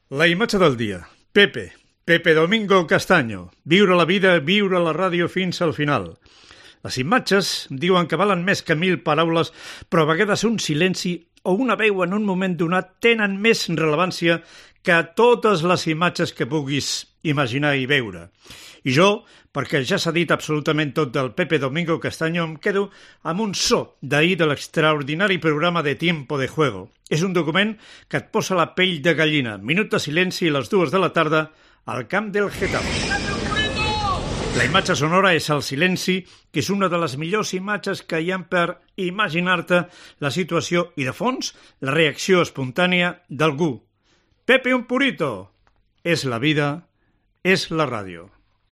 La imatge del dia. Pepe Domingo Castaño. Viure la vida, viure la ràdio fins al final. Les imatges diuen que valen més que 1000 paraules, però a vegades un silenci o una veu en un moment donat tenen més rellevància que totes les imatges que puguis imaginar i veure. I jo, perquè ja s'ha dit absolutament tot del Pepe Domingo Castaño, em quedo amb un so d'ahir de l'extraordinari programa de Tiempo de Juego. És un document que et posa la pell de gallina. Minut de silenci a les 2 de la tarda al camp del Getafe. La imatge sonora és el silenci, que és una de les millors imatges que hi ha per imaginar-te la situació i, de fons, la reacció espontània d'algú. Pepe un purito. És la vida, és la ràdio.